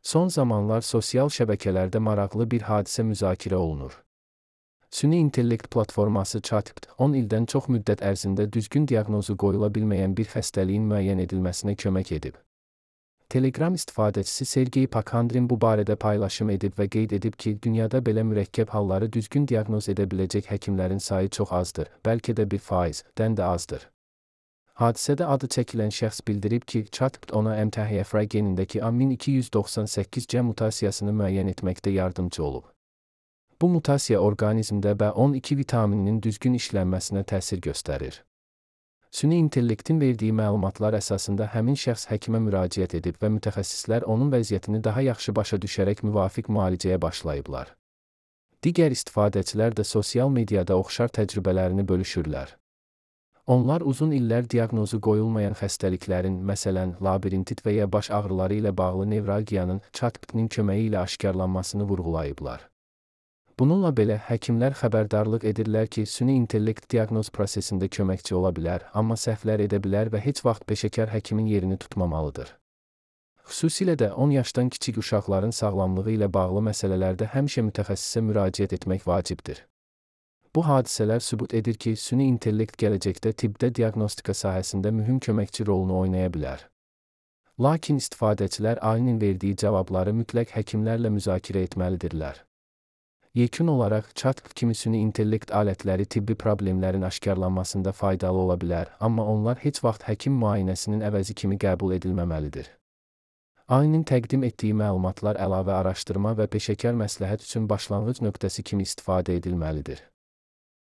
Son zamanlar sosial şəbəkələrdə maraqlı bir hadisə müzakirə olunur. Süni intellekt platforması ChatGPT 10 ildən çox müddət ərzində düzgün diaqnozu qoyula bilməyən bir xəstəliyin müəyyən edilməsinə kömək edib. Telegram istifadəçisi Sergey Pakhandrin bu barədə paylaşım edib və qeyd edib ki, dünyada belə mürəkkəb halları düzgün diaqnoz edə biləcək həkimlərin sayı çox azdır, bəlkə də 1%-dən də azdır. Hadisədə adı çəkilən şəxs bildirib ki, ChatGPT ona MTHFR genindəki AMIN298C mutasiyasını müəyyən etməkdə yardımcı olub. Bu mutasiya orqanizmdə B12 vitamininin düzgün işlənməsinə təsir göstərir. Süni intellektin verdiyi məlumatlar əsasında həmin şəxs həkimə müraciət edib və mütəxəssislər onun vəziyyətini daha yaxşı başa düşərək müvafiq müalicəyə başlayıblar. Digər istifadəçilər də sosial mediada oxşar təcrübələrini bölüşürlər. Onlar uzun illər diaqnozu qoyulmayan xəstəliklərin, məsələn, labirintit və ya baş ağrıları ilə bağlı nevralgiyanın ChatGPT-nin köməyi ilə aşkarlanmasını vurğulayıblar. Bununla belə, həkimlər xəbərdarlıq edirlər ki, süni intellekt diaqnoz prosesində köməkçi ola bilər, amma səhvlər edə bilər və heç vaxt peşəkar həkimin yerini tutmamalıdır. Xüsusilə də 10 yaşdan kiçik uşaqların sağlamlığı ilə bağlı məsələlərdə həmişə mütəxəssisə müraciət etmək vacibdir. Bu hadisələr sübut edir ki, süni intellekt gələcəkdə tibbdə diaqnostika sahəsində mühüm köməkçi rolunu oynaya bilər. Lakin istifadəçilər AI'nin verdiyi cavabları mütləq həkimlərlə müzakirə etməlidirlər. Yekun olaraq, ChatGPT kimi süni intellekt alətləri tibbi problemlərin aşkarlanmasında faydalı ola bilər, amma onlar heç vaxt həkim müayinəsinin əvəzi kimi qəbul edilməməlidir. AI'nin təqdim etdiyi məlumatlar əlavə araşdırma və peşəkar məsləhət üçün başlanğıc nöqtəsi kimi istifadə edilməlidir.